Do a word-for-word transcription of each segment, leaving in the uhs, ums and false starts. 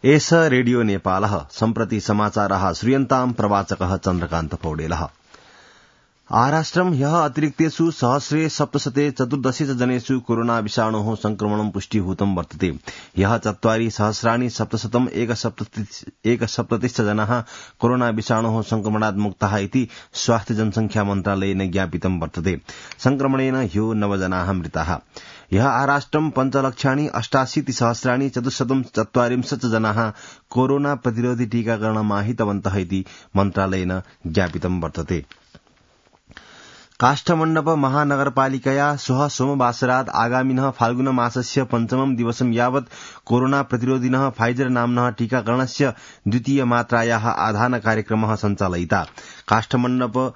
एष रेडियो नेपालः सम्प्रति समाचारः श्रूयन्ताम् प्रवाचकः चन्द्रकान्त पौडेलः। आराष्ट्रम् ह्यः अतिरिक्तेषु सहस्रे सप्तशते चतुर्दश जनेषु कोरोना विषाणोः संक्रमणं पुष्टीभूतं वर्तते। ह्यः चत्वारि सहस्राणि सप्तशतम् एकसप्ततिश्च जनाः कोरोना विषाणोः संक्रमणात् मुक्ताः इति स्वास्थ्य जनसंख्या मन्त्रालयेन ज्ञापितं वर्तते। संक्रमणेन ह्यो नव जनाः मृताः। ह्यः आराष्ट्रम् पञ्चलक्षाणि अष्टाशीति सहस्राणि चतुश्शतं चत्वारिंशत् जनाः कोरोना प्रतिरोधि टीकाकरणमाहितवन्तः इति मन्त्रालयेन ज्ञापितं वर्तते। काष्ठमण्डप महानगरपालिकया श्वः सोमवासरात् आगामिनः फाल्गुन मासस्य पञ्चमं दिवसं यावत् कोरोना प्रतिरोधिनः फाइजर नाम्नः टीकाकरणस्य द्वितीय मात्रायाः आधान कार्यक्रमः सञ्चालयिता। काष्ठमण्डप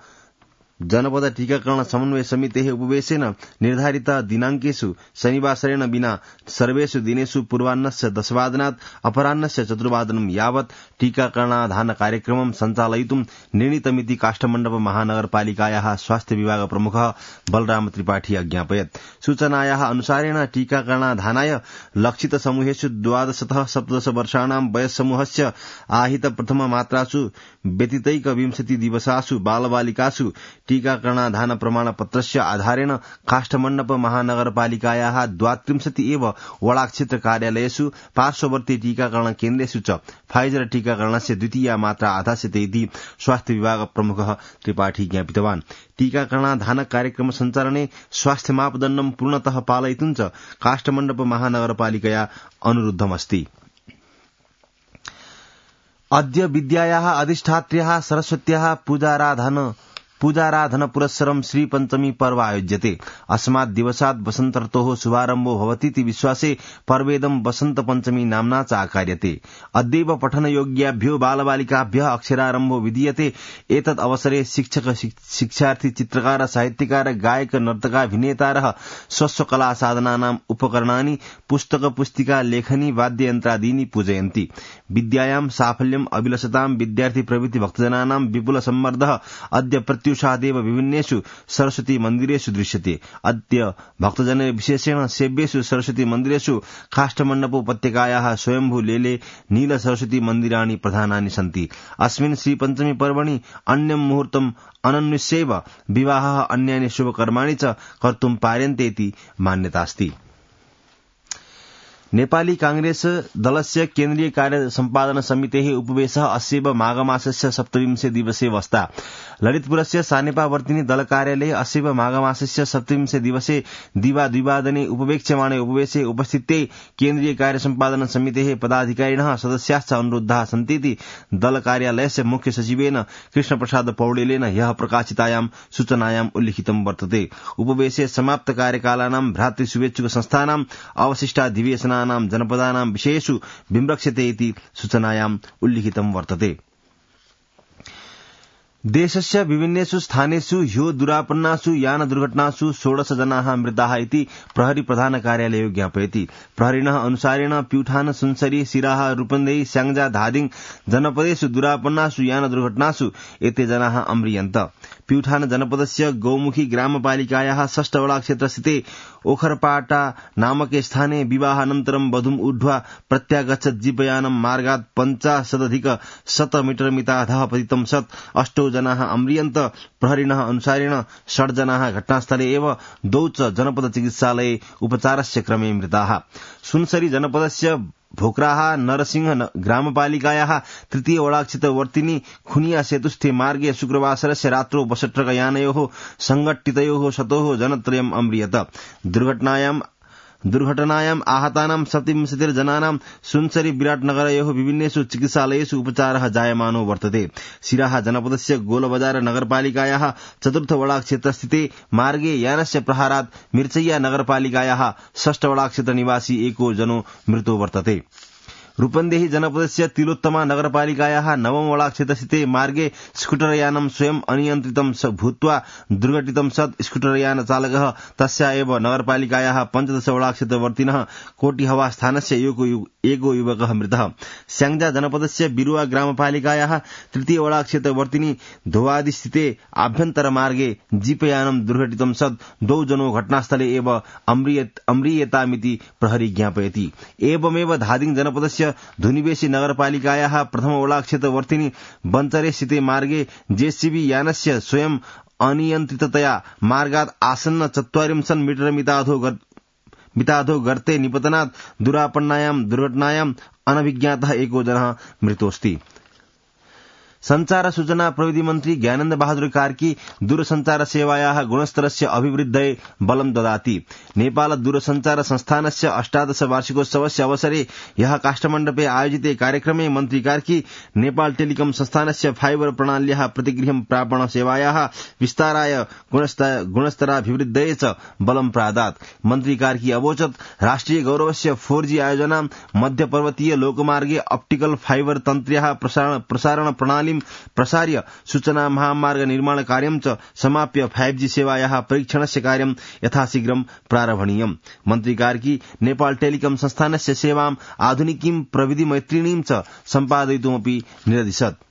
जनपद टीकाकरण समन्वय समितेः उपवेशेन निर्धारित दिनांकेषु शनिवासरेण विना सर्वेषु दिनेषु पूर्वाह्नस्य दशवादनात् अपराह्नस्य चतुर्वादनं यावत् टीकाकरणाधान कार्यक्रमं सञ्चालयितुं निर्णीतमिति काष्ठमण्डप महानगरपालिकायाः स्वास्थ्य विभाग प्रमुखः बलराम त्रिपाठी अज्ञापयत्। सूचनायाः अनुसारेण टीकाकरणाधानाय लक्षित समूहेषु द्वादशतः सप्तदश वर्षाणां वयस्समूहस्य आहित प्रथम मात्रासु व्यतीतैक विंशति दिवसासु बालबालिकासु टीकाकरणाधान प्रमाणपत्रस्य आधारेण काष्ठमण्डप महानगरपालिकायाः द्वात्रिंशति एव वडाक्षेत्र कार्यालयेषु पार्श्ववर्ती टीकाकरण केन्द्रेषु च फाइजर टीकाकरणस्य द्वितीया मात्रा आधास्यते इति स्वास्थ्य विभाग प्रमुखः त्रिपाठी ज्ञापितवान्। टीकाकरणाधान कार्यक्रम सञ्चालने स्वास्थ्य मापदण्डं पूर्णतः पालयितुं च काष्ठमण्डप महानगरपालिकया अनुरुद्धमस्ति। अद्य विद्यायाः अधिष्ठात्र्याः सरस्वत्याः पूजाराधन पूजाराधन पुरस्सरं श्री पंचमी पर्व आयोज्यते। अस्मात् दिवसात् वसन्त ऋतोः शुभारम्भो भवतीति विश्वासे पर्वेदं वसन्त पंचमी नाम्ना च आकार्यते। अद्यैव पठनयोग्याभ्यो बालबालिकाभ्यः अक्षरारम्भो विधीयते। एतद् अवसरे शिक्षक शिक्षार्थी चित्रकार साहित्यकार गायक नर्तकाभिनेतारः स्वस्वकला साधनानाम् उपकरणानि पुस्तक पुस्तिका लेखनी वाद्ययन्त्रादीनि पूजयन्ति। विद्यायां साफल्यम् अभिलषतां विद्यार्थी प्रभृति भक्तजनानां विपुल सम्मर्दः अद्य प्रत्युषादेव विभिन्नेषु सरस्वती मन्दिरेषु दृश्यते। अद्य भक्तजन विशेषेण सेव्येषु सरस्वती मन्दिरेषु काष्ठमण्डप उपत्यकायाः स्वयंभू लेले नील सरस्वती मन्दिराणि प्रधानानि सन्ति। अस्मिन् श्री पंचमी पर्वणि अन्यं मुहूर्तम् अनन्विष्यैव विवाहः अन्यानि शुभकर्माणि च कर्तुं पार्यन्ते इति मान्यतास्ति। नेपाली कांग्रेस दलस्य केन्द्रीय कार्य सम्पादन समितेः उपवेशः अस्यैव माघमासस्य सप्तविंशे दिवसे वस्ता। ललितपुरस्य सानेपावर्तिनी दल कार्यालये अस्यैव माघमासस्य सप्तविंशे दिवसे दिवा द्विवादने उपवेक्ष्यमाणे उपवेशे उपस्थिते केन्द्रीय कार्य सम्पादन समितेः पदाधिकारिणः सदस्याश्च अनुरुद्धाः सन्तीति दल कार्यालयस्य मुख्य सचिवेन कृष्णप्रसाद पौडेलेन ह्यः प्रकाशितायां सूचनायाम् उल्लिखितं वर्तते। उपवेशे समाप्त कार्यकालानां भ्रातृशुभेच्छुक संस्थानाम् अवशिष्टाधिवेशना जनपदानां विषयेषु विमृक्षते इति सूचनायाम् उल्लिखितं वर्तते। देशस्य विभिन्नेषु स्थानेषु ह्यो दुरापन्नासु यान दुर्घटनासु षोडश जनाः मृताः इति प्रहरी प्रधान कार्यालयो ज्ञापयति। प्रहरिणः अनुसारेण प्युठान सुनसरी सिराहा रूपन्देही स्याङ्जा धादिङ जनपदेषु दुरापन्नासु यान दुर्घटनासु एते जनाः अम्रियन्त। प्युठान जनपदस्य गौमुखी ग्रामपालिकायाः षष्ठ वडा क्षेत्रस्थिते ओखरपाटा नामके स्थाने विवाहानन्तरं वधूम् ऊढ्वा प्रत्यागच्छत् जीपयानं मार्गात् पञ्चाशदधिक शत मीटर मिताधः पतितं सत् अष्टौ जनाः अम्रियन्त। प्रहरिणः अनुसारेण षड् जनाः घटनास्थले एव द्वौ च जनपद चिकित्सालये उपचारस्य क्रमे मृताः। सुनसरी जनपदस्य भोक्राहा नरसिंह ग्रामपालिकायाः तृतीय वडाक्षेत्रवर्तिनी खुनिया सेतुस्थे मार्गे शुक्रवासरस्य रात्रौ बसट्रकयानयोः संघट्टितयोः शतोः जनत्रयम् अम्रियत। दुर्घटनायाम् दुर्घटनायाम् आहतानां सप्तविंशतिर्जनानां सुनसरी विराटनगरयोः विभिन्नेषु चिकित्सालयेषु उपचारः जायमानो वर्तते। सिराहा जनपदस्य गोलबजार नगरपालिकायाः चतुर्थ वडाक्षेत्रस्थिते मार्गे यानस्य प्रहारात् मिर्चय्या नगरपालिकायाः षष्ठ वडाक्षेत्र निवासी एको जनो मृतो वर्तते। रूपन्देही जनपदस्य तिलोत्तमा नगरपालिकायाः नवम वडाक्षेत्रस्थिते मार्गे स्कूटरयानं स्वयं अनियन्त्रितं भूत्वा दुर्घटितं सत् स्कूटरयान चालकः तस्या एव नगरपालिकायाः पञ्चदश वडाक्षेत्रवर्तिनः कोटिहवा स्थानस्य एको युवकः मृतः। स्याङ्जा जनपदस्य बिरुवा ग्रामपालिकायाः तृतीय वडाक्षेत्रवर्तिनी धोवादिस्थिते आभ्यन्तर मार्गे जीपयानं दुर्घटितं सत् द्वौ जनो घटनास्थले एव अम्रियेतामिति प्रहरी ज्ञापयति। एवमेव धादिङ जनपदस्य क्षेत्रस्य धुनिवेशी नगरपालिकायाः प्रथमवडाक्षेत्रवर्तिनि बञ्चरे स्थिते मार्गे जेसीबी यानस्य स्वयं अनियन्त्रिततया मार्गात् आसन्न चत्वारिंशत् मीटर मिताधो मिताधो गर्ते निपतनात् दुरापन्नायां दुर्घटनायां अनभिज्ञातः एको जनः मृतोऽस्ति। संचार सूचना प्रविधि मन्त्री ज्ञानन्द बहादुर कार्की दूरसञ्चार सेवायाः गुणस्तरस्य अभिवृद्धये बलं ददाति। नेपाल दूरसञ्चार संस्थानस्य अष्टादश वार्षिकोत्सवस्य अवसरे ह्यः काष्ठमण्डपे आयोजिते कार्यक्रमे मन्त्री कार्की नेपाल टेलिकम संस्थानस्य फाइबर प्रणाल्याः प्रतिगृहं प्रापण सेवायाः विस्ताराय गुणस्तराभिवृद्धये च बलं प्रादात्। मन्त्री कार्की अवोचत् राष्ट्रिय गौरवस्य फोर जी आयोजनां मध्यपर्वतीय लोकमार्गे ऑप्टिकल फाइबर तन्त्र्याः प्रसारण प्रणाली प्रसार्य सूचना महामार्ग निर्माण कार्यं च समाप्य फाइव जी सेवायाः परीक्षणस्य कार्यं यथाशीघ्रं प्रारभणीयम्। मन्त्री कार्की नेपाल टेलिकम संस्थानस्य सेवाम् आधुनिकीं प्रविधिमैत्रिणीं च सम्पादयितुमपि निरदिशत्।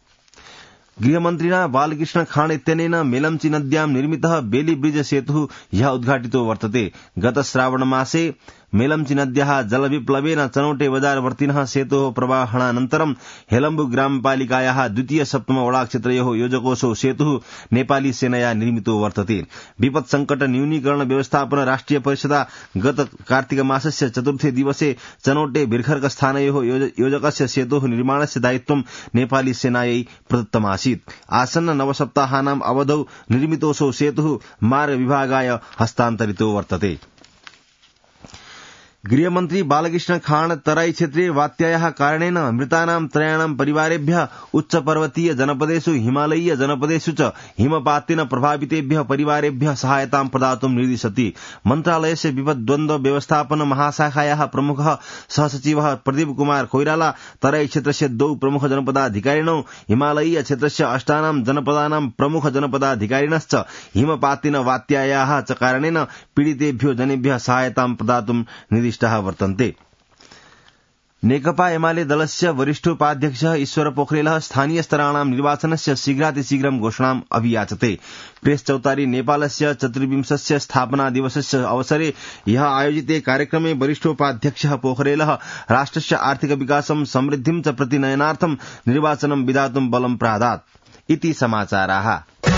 गृहमन्त्रिणा बालकृष्ण खाँड इत्यनेन मेलम्ची नद्यां निर्मितः बेली ब्रिज सेतुः ह्यः उद्घाटितो वर्तते। गत श्रावण मासे मेलम्ची नद्याः जलविप्लवेन चनौटे बजारवर्तिनः सेतोः प्रवाहणानन्तरं हेलम्बु ग्रामपालिकायाः द्वितीय सप्तम वडाक्षेत्रयोः योजकोऽसौ सेतुः नेपाली सेनया निर्मितो वर्तते। विपत् संकट न्यूनीकरण व्यवस्थापन राष्ट्रिय परिषदा गत कार्तिक मासस्य चतुर्थे दिवसे चनौटे बिर्खर्क स्थानयोः योजकस्य सेतोः निर्माणस्य दायित्वं नेपाली सेनायै प्रदत्तमासीत्। आसन्न नवसप्ताहानाम् अवधौ निर्मितोऽसौ सेतुः मार्ग विभागाय हस्तान्तरितो वर्तते। गृहमन्त्री बालकृष्ण खाँड तराई क्षेत्रे वात्यायाः कारणेन मृतानां त्रयाणां परिवारेभ्यः उच्च पर्वतीय जनपदेषु हिमालयीय जनपदेषु च हिमपातेन प्रभावितेभ्यः परिवारेभ्यः सहायतां प्रदातुं निर्दिशति। मन्त्रालयस्य विपद्द्वन्द्व व्यवस्थापन महाशाखायाः प्रमुखः सहसचिवः प्रदीप कुमार कोइराला तराई क्षेत्रस्य द्वौ प्रमुख जनपदाधिकारिणौ हिमालयीय क्षेत्रस्य अष्टानां जनपदानां प्रमुख जनपदाधिकारिणश्च हिमपातेन वात्यायाः च कारणेन पीडितेभ्यो जनेभ्यः सहायतां प्रदातुं निर्दिष्टाः वर्तन्ते। नेकपा एमाले दलस्य वरिष्ठोपाध्यक्षः ईश्वर पोखरेलः स्थानीय स्तराणां निर्वाचनस्य शीघ्रातिशीघ्रं घोषणाम् अभियाचते। प्रेस चौतारी नेपालस्य चतुर्विंशस्य स्थापना दिवसस्य अवसरे ह्यः आयोजिते कार्यक्रमे वरिष्ठोपाध्यक्षः पोखरेलः राष्ट्रस्य आर्थिक विकासं समृद्धिं च प्रतिनयनार्थं निर्वाचनं विधातुं बलं प्रादात् इति समाचाराः।